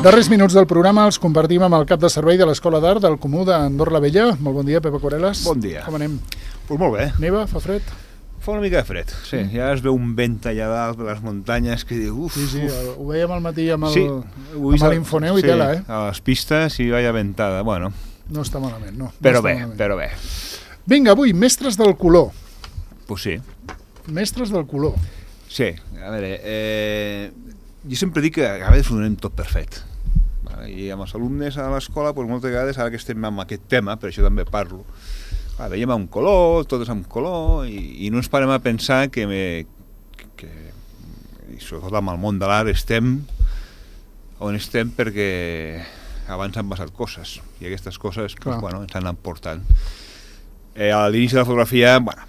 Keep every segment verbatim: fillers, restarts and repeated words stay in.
Darrers minuts del programa els compartim amb el cap de servei de l'Escola d'Art del Comú d'Andorra la Vella. Molt bon dia, Pepa Coreles. Bon dia. Com anem? Pues molt bé. Neva? Fa fred? Fa una mica de fred, sí. Mm. Ja es veu un vent allà dalt de les muntanyes que diu uf, Sí, sí, uf. ho veiem al matí amb el, Sí, amb l'Infoneu i sí, tela, eh? a les pistes i vaya ventada, bueno. No està malament, no. no Però està bé, malament. però bé. Vinga, avui, mestres del color. Pues sí. Mestres del color. Sí, a veure, eh, jo sempre dic que a vegades ho donem tot per fet. I amb els alumnes a l'escola, pues, moltes vegades, ara que estem amb aquest tema, per això també parlo, ah, veiem un color, tot és amb color, i, i no ens parem a pensar que, me, que, i sobretot amb el món de l'art, estem on estem perquè abans han passat coses, i aquestes coses pues, bueno, ens han anat portant. Eh, a l'inici de la fotografia, bueno,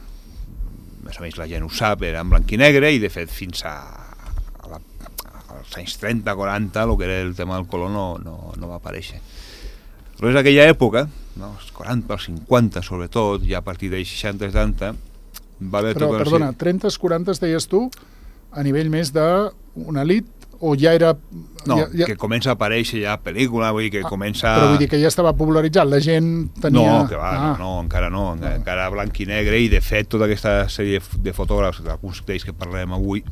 més o menys la gent ho sap, era en blanc i negre, i de fet fins a, a la, als anys trenta, quaranta, el que era el tema del color no, no, no va aparèixer. Però és aquella època, no, els quaranta, els cinquanta sobretot, ja a partir dels seixanta, setanta, va haver Però, tota perdona, trenta, quaranta deies tu, a nivell més d'una elit, o ja era... No, ja, ja... que comença a aparèixer ja pel·lícula, vull dir que ah, comença... Però vull dir que ja estava popularitzat, la gent tenia... No, que va, ah. no, no, encara no, no, encara blanc i negre, i de fet tota aquesta sèrie de fotògrafs, d'alguns d'ells que parlarem avui,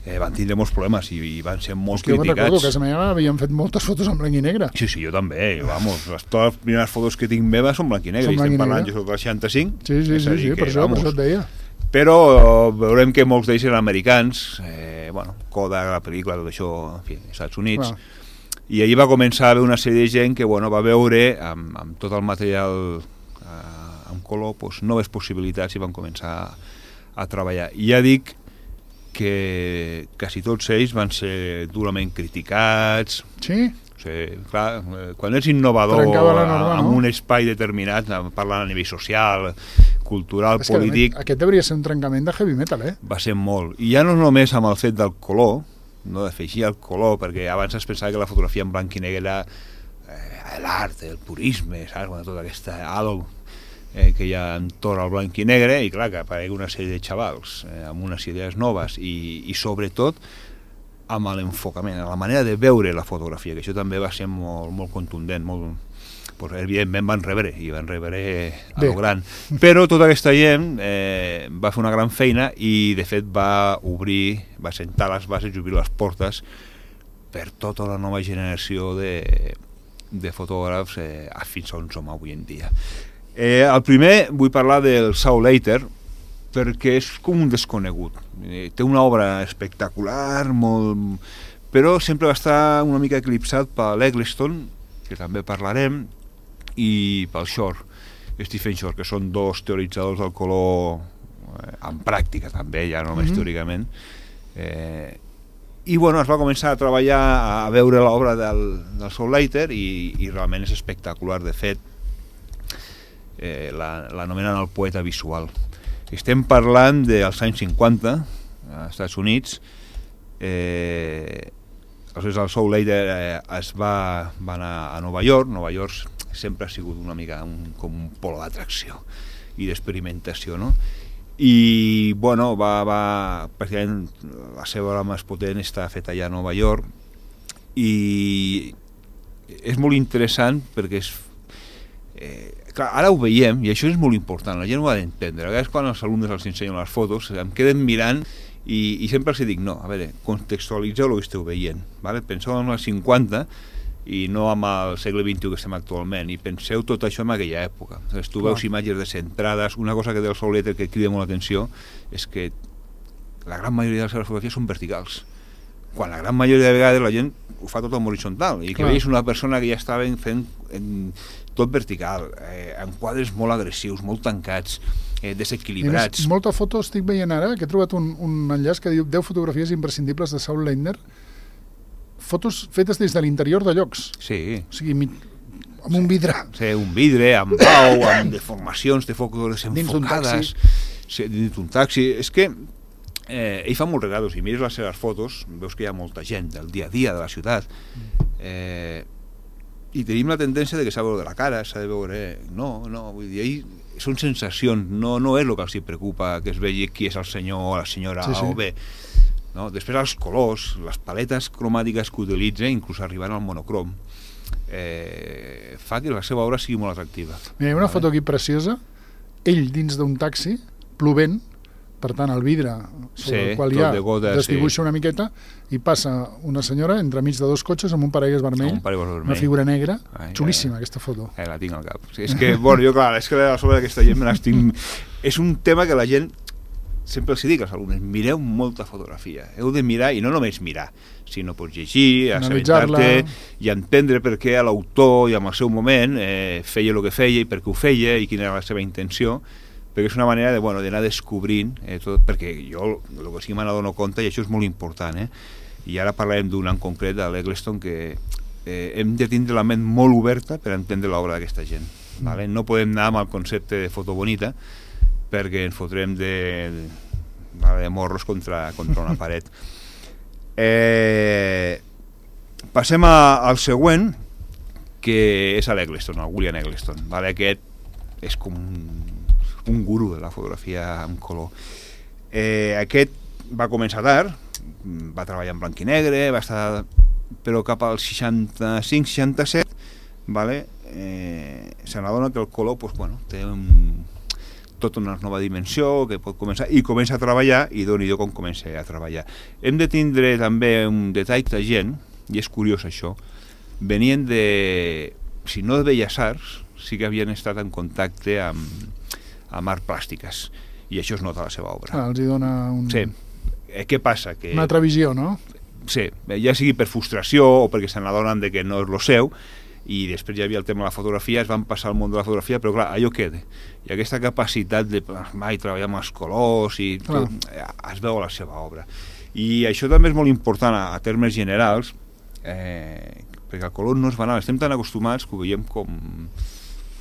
eh, van tindre molts problemes i, i van ser molt Hòstia, criticats. Jo recordo que a casa meva havien fet moltes fotos en blanc i negre. Sí, sí, jo també, vamos, les, totes les primeres fotos que tinc meves són blanc i negre, i estem parlant, jo soc del seixanta-cinc. Sí, sí, sí, sí, per, això, per això et deia. Però veurem que molts d'ells eren americans, eh, bueno, Kodak, la pel·lícula, tot això, en fi, als Estats Units, ah. i allí va començar a haver una sèrie de gent que, bueno, va veure, amb, amb tot el material eh, en color, pues, noves possibilitats i van començar a, a treballar. I ja dic que quasi tots ells van ser durament criticats. Sí? O sigui, clar, quan ets innovador norma, en no? un espai determinat, parlant a nivell social, cultural, és polític... Aquest devia ser un trencament de heavy metal, eh? Va ser molt. I ja no només amb el fet del color, no d'afegir el color, perquè abans es pensava que la fotografia en blanc i negre era eh, l'art, el purisme, saps? Bueno, tota aquesta halo eh, que hi ha entorn al blanc i negre, i clar, que aparegui una sèrie de xavals eh, amb unes idees noves, i, i sobretot amb l'enfocament, la manera de veure la fotografia, que això també va ser molt, molt contundent, molt... Pues, evidentment van rebre, i van rebre a lo gran. Però tota aquesta gent eh, va fer una gran feina i, de fet, va obrir, va sentar les bases i obrir les portes per tota la nova generació de, de fotògrafs eh, fins on som avui en dia. Eh, el primer, vull parlar del Saul Leiter, perquè és com un desconegut. Eh, té una obra espectacular, molt... però sempre va estar una mica eclipsat per l'Eggleston, que també parlarem, i pel Shore, Stephen Shore, que són dos teoritzadors del color eh, en pràctica també, ja no només mm-hmm. teòricament. Eh, I bueno, es va començar a treballar, a veure l'obra del, del Saul Leiter, i, i realment és espectacular. De fet, eh, l'anomenen el poeta visual. Estem parlant dels anys cinquanta, als Estats Units. Eh, aleshores el Saul Leiter eh, es va, va anar a Nova York. Nova York sempre ha sigut una mica un, com un polo d'atracció i d'experimentació, no? I, bueno, va, va, pràcticament la seva obra més potent està feta allà a Nova York, i és molt interessant perquè és... Eh, clar, ara ho veiem, i això és molt important, la gent ho ha d'entendre. A vegades quan els alumnes els ensenyen les fotos em queden mirant i, i sempre els dic, no, a veure, contextualitzeu el que esteu veient, ¿vale? Penseu en els cinquanta i no amb el segle vint-i-u que estem actualment, i penseu tot això en aquella època. Entonces, tu veus imatges descentrades. Una cosa que té el Saul Leiter que crida molt l'atenció és que la gran majoria de les seves fotografies són verticals, quan la gran majoria de vegades la gent ho fa tot en horitzontal, i que Clar. veies una persona que ja estava fent en, tot vertical, eh, en quadres molt agressius, molt tancats, eh, desequilibrats. Més, molta foto estic veient ara, que he trobat un, un enllaç que diu deu fotografies imprescindibles de Saul Leiter, fotos fetes des de l'interior de llocs. Sí. O sigui, amb un vidre. Sí, un vidre, amb pau, amb deformacions de fotos desenfocades. Dins d'un taxi. Sí, dins d'un taxi. És que eh, ell fa molts regalos, i mires les seves fotos, veus que hi ha molta gent del dia a dia de la ciutat. Eh, I tenim la tendència de que s'ha de veure la cara, s'ha de veure... No, no, vull dir, ell són sensacions, no, no és el que els preocupa que es vegi qui és el senyor o la senyora sí, sí. A o B. no? Després els colors, les paletes cromàtiques que utilitza, inclús arribant al monocrom, eh, fa que la seva obra sigui molt atractiva. Mira, hi ha una vale? foto aquí preciosa, ell dins d'un taxi, plovent, per tant el vidre sobre sí, el qual hi ha de gotes, desdibuixa sí. una miqueta i passa una senyora entremig de dos cotxes amb un paraigues vermell, Un paraigües vermell. una figura negra, Ai, xulíssima ai, aquesta foto. Eh, la tinc al cap. Sí, és que, bueno, jo, clar, és que a sobre d'aquesta gent me n'estic... És un tema que la gent, sempre els dic als alumnes, mireu molta fotografia. Heu de mirar, i no només mirar, sinó pots llegir, assabentar-te i entendre per què l'autor i en el seu moment eh, feia el que feia i per què ho feia i quina era la seva intenció, perquè és una manera de, bueno, d'anar descobrint eh, tot, perquè jo el que sí que me n'adono compte, i això és molt important, eh? I ara parlarem d'un en concret, de l'Eggleston, que eh, hem de tindre la ment molt oberta per entendre l'obra d'aquesta gent. Mm. Vale? No podem anar amb el concepte de foto bonita, perquè ens fotrem de, de, de morros contra, contra una paret. Eh, passem a, al següent, que és l'Eggleston, el William Eggleston. Vale? Aquest és com un un guru de la fotografia en color. Eh, aquest va començar tard, va treballar en blanc i negre, va estar, però cap al seixanta-cinc seixanta-set, vale? eh, se n'adona que el color pues, bueno, té un, tota una nova dimensió que pot començar, i comença a treballar, i doni-do com comença a treballar. Hem de tindre també un detall de gent, i és curiós això, venien de, si no de Belles Arts, sí que havien estat en contacte amb amb art plàstiques, i això es nota a la seva obra. Ah, els hi dona un... Sí. Eh, què passa? Que... una altra visió, no? Sí, ja sigui per frustració o perquè se n'adonen de que no és lo seu, i després ja havia el tema de la fotografia, es van passar al món de la fotografia, però clar, allò queda. I aquesta capacitat de mai treballar amb els colors i tot, es veu a la seva obra. I això també és molt important a, a termes generals, eh, perquè el color no és banal, estem tan acostumats que ho veiem com...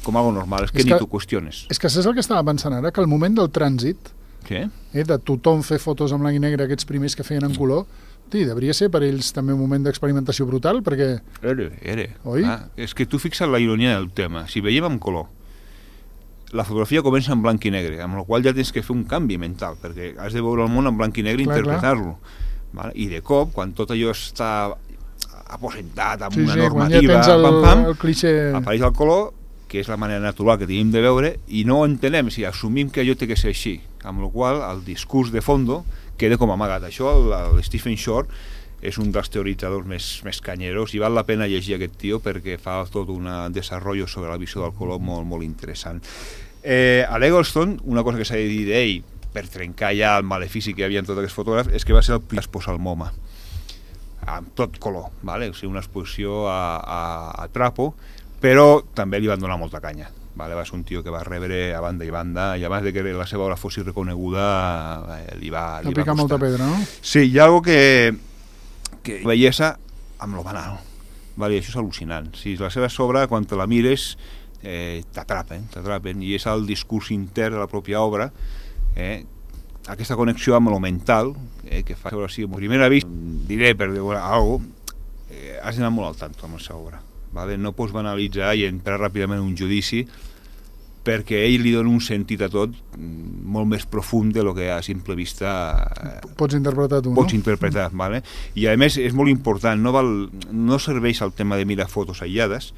com algo normal, és que, és que ni t'ho qüestiones. És que saps el que estava pensant ara? Que al moment del trànsit, què? Eh, de tothom fer fotos en blanc i negre, aquests primers que feien en color, sí, devria ser per ells també un moment d'experimentació brutal, perquè... Era, era. Oi? Ah, és que tu fixa't la ironia del tema. Si veiem en color, la fotografia comença en blanc i negre, amb la qual ja tens que fer un canvi mental, perquè has de veure el món en blanc i negre i interpretar-lo. Vale? I de cop, quan tot allò està aposentat amb sí, una sí, normativa, quan ja tens el, pam, pam, el cliché... apareix el color, que és la manera natural que tenim de veure, i no ho entenem, si assumim que allò té que ser així, amb la qual el discurs de fondo queda com amagat. Això, el, el Stephen Shore és un dels teoritzadors més, més canyeros, i val la pena llegir aquest tio perquè fa tot un desenvolupament sobre la visió del color molt, molt interessant. Eh, a l'Eggleston, una cosa que s'ha de dir d'ell, per trencar ja el malefici que hi havia en tots aquests fotògrafs, és que va ser el primer a exposar el MoMA, amb tot color, vale? O sigui, una exposició a, a, a trapo, però també li van donar molta canya. Vale? Va ser un tio que va rebre a banda i banda, i abans de que la seva obra fos reconeguda eh, li va, li va picar molta pedra, no? Sí, hi ha algo que, que bellesa amb lo banal, vale? Això és al·lucinant. Si la seva obra, quan te la mires, eh, t'atrapen, t'atrapen, i és el discurs intern de la pròpia obra, eh, aquesta connexió amb lo mental, eh, que fa veure així, a primera vista, diré per dir alguna cosa, eh, has d'anar molt al tanto amb la seva obra. Vale? No pots banalitzar i entrar ràpidament en un judici, perquè ell li dona un sentit a tot molt més profund de lo que a simple vista pots interpretar tu, pots no? interpretar, vale? I a més és molt important, no, val, no serveix el tema de mirar fotos aïllades,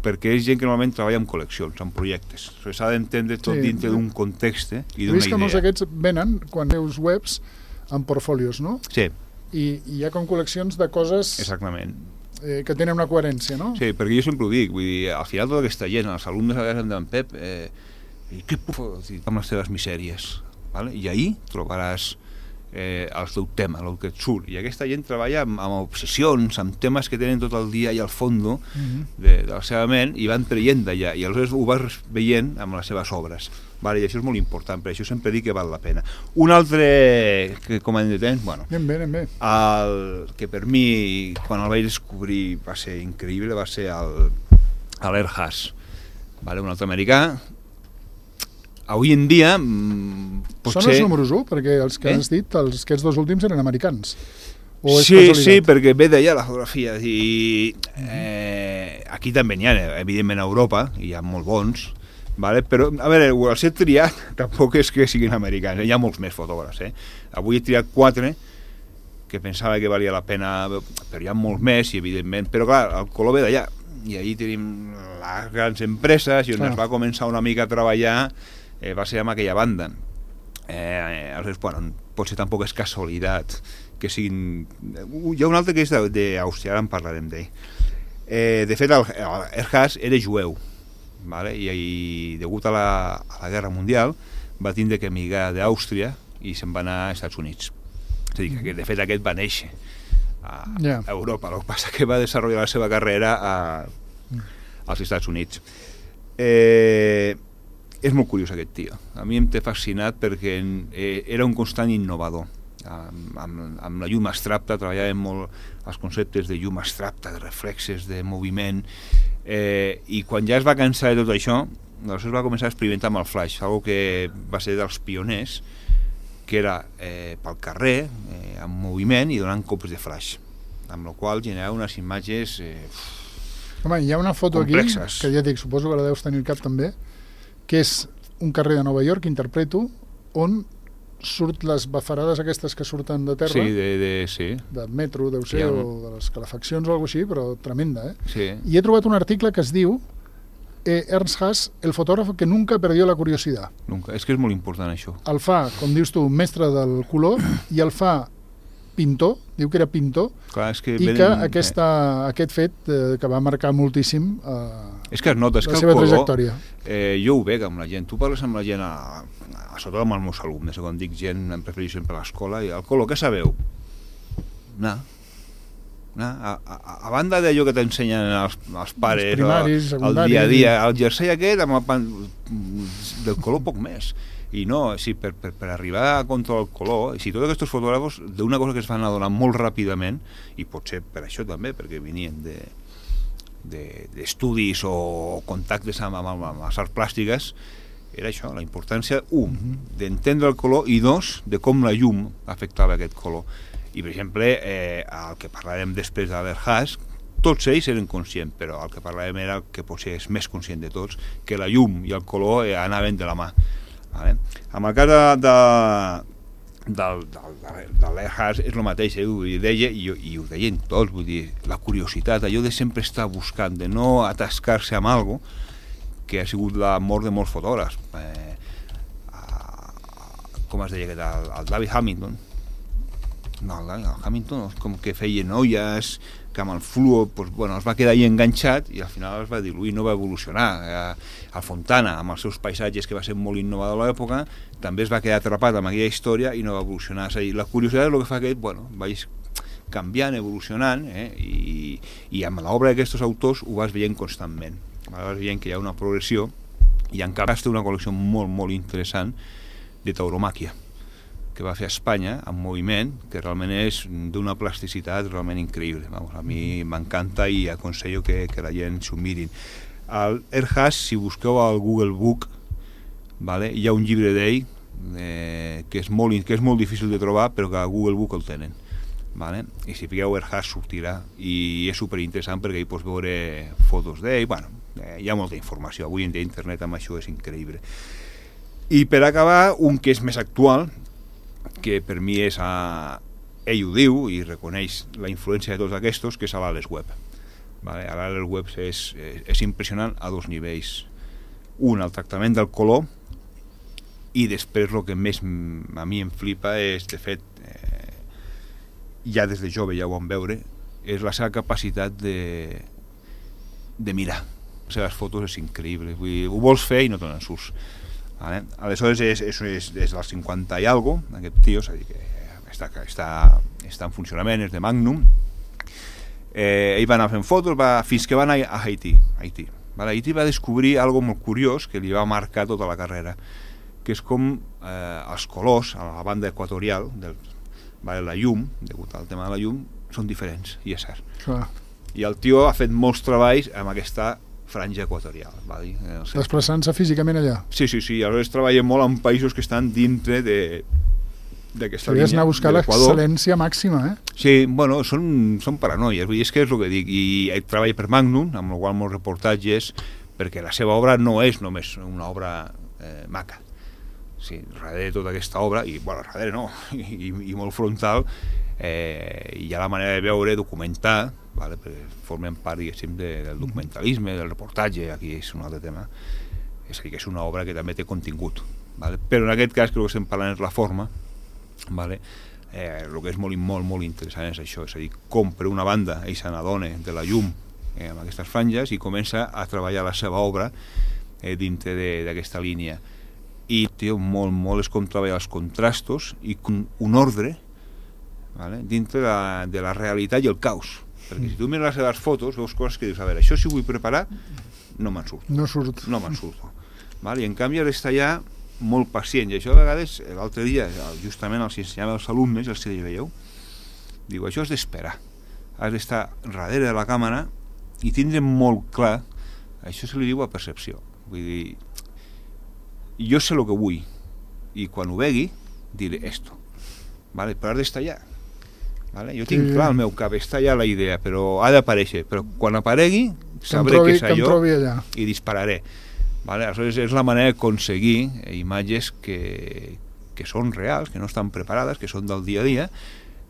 perquè és gent que normalment treballa en col·leccions, en projectes. S'ha d'entendre tot sí, dintre d'un context i d'una idea. He vist que molts d'aquests venen, quan veus webs, en portfolios, no? Sí. I, i hi ha com col·leccions de coses... Exactament. Eh, que tenen una coherència, no? Sí, perquè jo sempre ho dic, vull dir, al final tota aquesta gent, els alumnes a vegades em diuen, Pep, eh, què puc fer amb les teves misèries? Vale? I ahir trobaràs eh, el teu tema, el que et surt. I aquesta gent treballa amb, amb obsessions, amb temes que tenen tot el dia i al fondo uh-huh. de, de la seva ment, i van traient d'allà, i aleshores ho vas veient amb les seves obres. Vale, i això és molt important, per això sempre dic que val la pena. Un altre que com hem de temps, bueno, anem bé, anem bé. El que per mi, quan el vaig descobrir, va ser increïble, va ser el, l'Air Haas, vale, un altre americà. Avui en dia potser... Són els números u, perquè els que eh? has dit, els, aquests dos últims eren americans. O és sí, casualitat? sí, perquè ve d'allà la fotografia, i eh, aquí també n'hi ha, evidentment a Europa, hi ha molt bons, vale? Però, a veure, el ser triat tampoc és que siguin americans, eh? Hi ha molts més fotògrafs. Eh? Avui he triat quatre que pensava que valia la pena, però hi ha molts més, i evidentment, però clar, el color ve d'allà, i allí tenim les grans empreses, i on ah. es va començar una mica a treballar eh, va ser amb aquella banda. Eh, aleshores, bueno, potser tampoc és casualitat que siguin... Hi ha un altre que és d'Àustria, ara en parlarem d'ell. Eh, de fet, el, el Ehrhard era jueu, vale? I, i degut a la, a la Guerra Mundial va tindre que emigrar d'Àustria i se'n va anar als Estats Units. És a dir, que de fet aquest va néixer a, yeah. a Europa, el que passa que va desenvolupar la seva carrera a, als Estats Units. Eh, és molt curiós aquest tio, a mi em té fascinat perquè eh, era un constant innovador. Amb, amb, amb la llum abstracta treballàvem molt els conceptes de llum abstracta, de reflexes, de moviment, eh, i quan ja es va cansar de tot això, doncs es va començar a experimentar amb el flash, algo que va ser dels pioners, que era eh, pel carrer, eh, amb moviment i donant cops de flash, amb la qual generava unes imatges eh, Home, hi ha una foto complexes. Aquí, que ja dic, suposo que la deus tenir al cap també, que és un carrer de Nova York, interpreto, on surt les bafarades aquestes que surten de terra, sí, de, de, sí. del metro, deu ser, un... o de les calefaccions o alguna cosa així, però tremenda, eh? Sí. I he trobat un article que es diu eh, Ernst Haas, el fotògraf que nunca perdió la curiositat. Nunca. És que és molt important això. El fa, com dius tu, mestre del color, i el fa pintor, diu que era pintor, clar, és que i venen, que aquesta, eh. aquest fet eh, que va marcar moltíssim eh, és que es nota, és la que seva el color, trajectòria. Eh, jo ho veig amb la gent, tu parles amb la gent, a, a sobretot amb els meus alumnes, quan dic gent, em prefereixo sempre a l'escola, i el color, què sabeu? No. No. A, a, a banda d'allò que t'ensenyen els, els pares, els primaris, el, el dia a dia, el jersei aquest, amb el pan, del color poc més. I no, sí, per, per, per arribar a controlar el color, si tots aquests fotògrafos d'una cosa que es van adonar molt ràpidament, i potser per això també, perquè venien de d'estudis de, o contactes amb, amb, amb les arts plàstiques, era això, la importància, un, uh-huh. d'entendre el color, i dos, de com la llum afectava aquest color. I, per exemple, eh, el que parlarem després de l'Ehrhard, tots ells eren conscients, però el que parlarem era el que potser és més conscient de tots, que la llum i el color eh, anaven de la mà. Vale? Amb el cas de, de, del, del, de l'Ehrhard és el mateix, eh? Ho deia, i, i ho deien tots, vull dir, la curiositat, allò de sempre estar buscant, de no atascar-se amb alguna cosa, que ha sigut la mort de molts fotògrafs. Eh, com es deia, el, el David Hamilton, no, el David Hamilton, com que feia noies, que amb el fluo pues, bueno, es va quedar ahí enganxat i al final es va diluir, no va evolucionar. Eh, el Fontana, amb els seus paisatges, que va ser molt innovador a l'època, també es va quedar atrapat amb aquella història i no va evolucionar. És a dir, la curiositat és el que fa que bueno, vagis canviant, evolucionant, eh, i, i amb l'obra d'aquests autors ho vas veient constantment. Vas veient que hi ha una progressió, i encara té una col·lecció molt, molt interessant de tauromàquia, que va fer a Espanya, en moviment, que realment és d'una plasticitat realment increïble. Vamos, a mi m'encanta i aconsello que, que la gent s'ho mirin. El Ehrhard, si busqueu al Google Book, vale, hi ha un llibre d'ell eh, que, és molt, que és molt difícil de trobar, però que a Google Book el tenen. Vale? I si fiqueu Ehrhard sortirà, i és superinteressant perquè hi pots veure fotos d'ell. Bueno, eh, hi ha molta informació. Avui en dia internet amb això és increïble. I per acabar, un que és més actual, que per mi és a... ell ho diu i reconeix la influència de tots aquests, que és a l'Ales Webb. Vale? A l'Ales Webb és, és, és impressionant a dos nivells. Un, el tractament del color, i després el que més a mi em flipa és, de fet, eh, ja des de jove ja ho vam veure, és la seva capacitat de, de mirar. Les seves fotos és increïble. Vull dir, ho vols fer i no te n'en surts. Vale? Aleshores és, és, és, és del cinquanta i algo, aquest tio, és a dir que està, està, està en funcionament, és de Magnum. Eh, ell va anar fent fotos va, fins que va anar a Haití. Haití. Vale? Haití va descobrir algo molt curiós que li va marcar tota la carrera, que és com eh, els colors a la banda equatorial, del, vale, la llum, degut al tema de la llum, són diferents, i és cert. Clar. I el tio ha fet molts treballs amb aquesta franja equatorial, va dir. No sé. Desplaçant-se físicament allà. Sí, sí, sí, aleshores treballem molt en països que estan dintre de d'aquesta línia. Hauries anar a buscar l'excel·lència màxima, eh? Sí, bueno, són, són paranoies, vull dir, és que és el que dic, i ell treballa per Magnum, amb el qual molts reportatges, perquè la seva obra no és només una obra eh, maca. Sí, darrere de tota aquesta obra, i bueno, darrere no, i, i molt frontal, eh, i hi ha la manera de veure, documentar, vale? Perquè formen part, diguéssim, de, del documentalisme, del reportatge, aquí és un altre tema, és a dir, que és una obra que també té contingut, vale? Però en aquest cas, que el que estem parlant és la forma, vale? Eh, el que és molt, molt, molt interessant és això, és a dir, com per una banda ell se n'adona de la llum eh, amb aquestes franges i comença a treballar la seva obra eh, dintre d'aquesta línia. I tio, molt, molt és com treballar els contrastos i un ordre, vale? Dintre de la, de la realitat i el caos. Perquè si tu mires les seves fotos, veus coses que dius, a veure, això si ho vull preparar, no me'n surto. No surt. No me'n surto. Vale? I en canvi has d'estar ja molt pacient. I això a vegades, l'altre dia, justament els ensenyava als alumnes, els que veieu, diu, això has d'esperar. Has d'estar darrere de la càmera i tindre molt clar, això se li diu a percepció. Vull dir, jo sé el que vull i quan ho vegui diré esto, vale? Però has d'estar allà, vale? Jo tinc sí. clar al meu cap, està allà la idea, però ha d'aparèixer, però quan aparegui sabré que, que és allò i dispararé, vale? Aleshores és la manera d'aconseguir imatges que, que són reals, que no estan preparades, que són del dia a dia,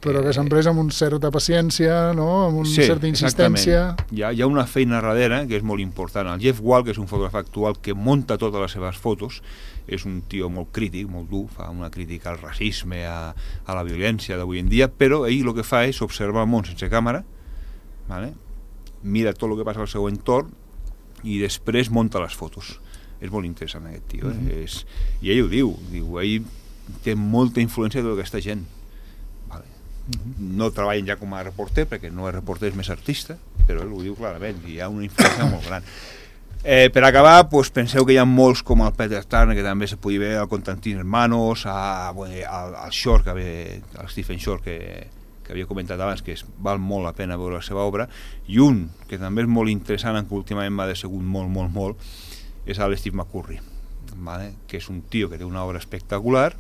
però que s'han pres amb una certa paciència, no? Amb una sí, certa insistència. Hi ha, hi ha una feina darrere que és molt important. El Jeff Wall, que és un fotògraf actual que monta totes les seves fotos, és un tio molt crític, molt dur, fa una crítica al racisme, a, a la violència d'avui en dia, però ell el que fa és observar el món sense càmera, vale? Mira tot el que passa al seu entorn i després monta les fotos. És molt interessant aquest tio, eh? Mm-hmm. és, i ell ho diu, diu, ell té molta influència de tota aquesta gent. No treballen ja com a reporter perquè no és reporter, és més artista, però ell ho diu clarament, hi ha una influència molt gran. Eh, per acabar, pues, penseu que hi ha molts com el Peter Turner, que també se podia veure, el Constantin Hermanos, a, bueno, al, al Shore, que havia, el Stephen Shore, que, que havia comentat abans, que es, val molt la pena veure la seva obra, i un que també és molt interessant, que últimament m'ha decebut molt, molt, molt, és el Steve McCurry, vale? Que és un tio que té una obra espectacular,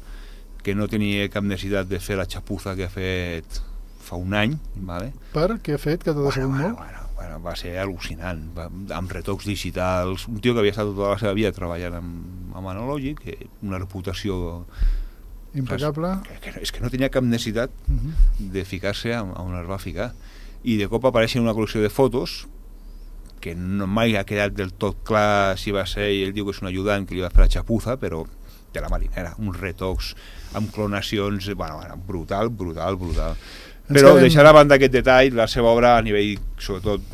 que no tenia cap necessitat de fer la xapuza que ha fet fa un any, vale? Per què ha fet, que t'ha decebut bueno, molt? Bueno, bueno, va ser al·lucinant, va, amb retocs digitals, un tio que havia estat tota la seva vida treballant amb, amb analògic, una reputació impecable, que, que, és que no tenia cap necessitat uh-huh. de ficar-se on, on es va ficar, i de cop apareix en una col·lecció de fotos que no mai ha quedat del tot clar si va ser, ell diu que és un ajudant que li va fer la xapuza, però de la marinera, uns retocs amb clonacions, bueno, bueno, brutal, brutal, brutal. Però quedem... deixar a banda aquest detall, la seva obra a nivell, sobretot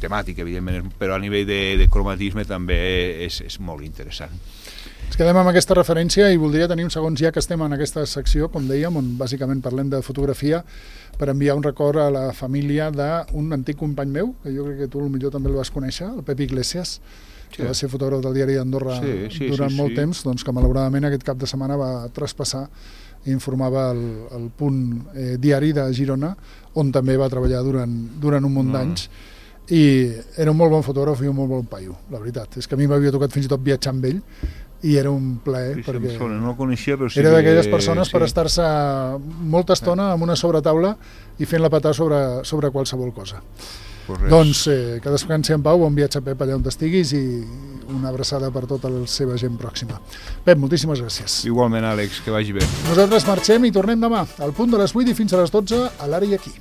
temàtic, evidentment, però a nivell de, de cromatisme també és, és molt interessant. Ens quedem amb aquesta referència i voldria tenir uns segons ja que estem en aquesta secció, com dèiem, on bàsicament parlem de fotografia, per enviar un record a la família d'un antic company meu, que jo crec que tu potser també el vas conèixer, el Pep Iglesias, que sí. va ser fotògraf del diari d'Andorra sí, sí, durant sí, molt sí. temps, doncs que malauradament aquest cap de setmana va traspassar i informava el, el punt eh, diari de Girona, on també va treballar durant, durant un munt d'anys, mm. i era un molt bon fotògraf i un molt bon paio, la veritat. És que a mi m'havia tocat fins i tot viatjar amb ell, i era un plaer, sí, perquè no el coneixia, però sí era d'aquelles que... persones sí. per estar-se molta estona amb una sobretaula i fent-la petar sobre, sobre qualsevol cosa. Pues doncs eh, que descansi en pau, bon viatge Pep allà on estiguis i una abraçada per tota la seva gent pròxima. Pep, moltíssimes gràcies. Igualment, Àlex, que vagi bé. Nosaltres marxem i tornem demà al punt de les vuit i fins a les dotze a l'Ara i Aquí.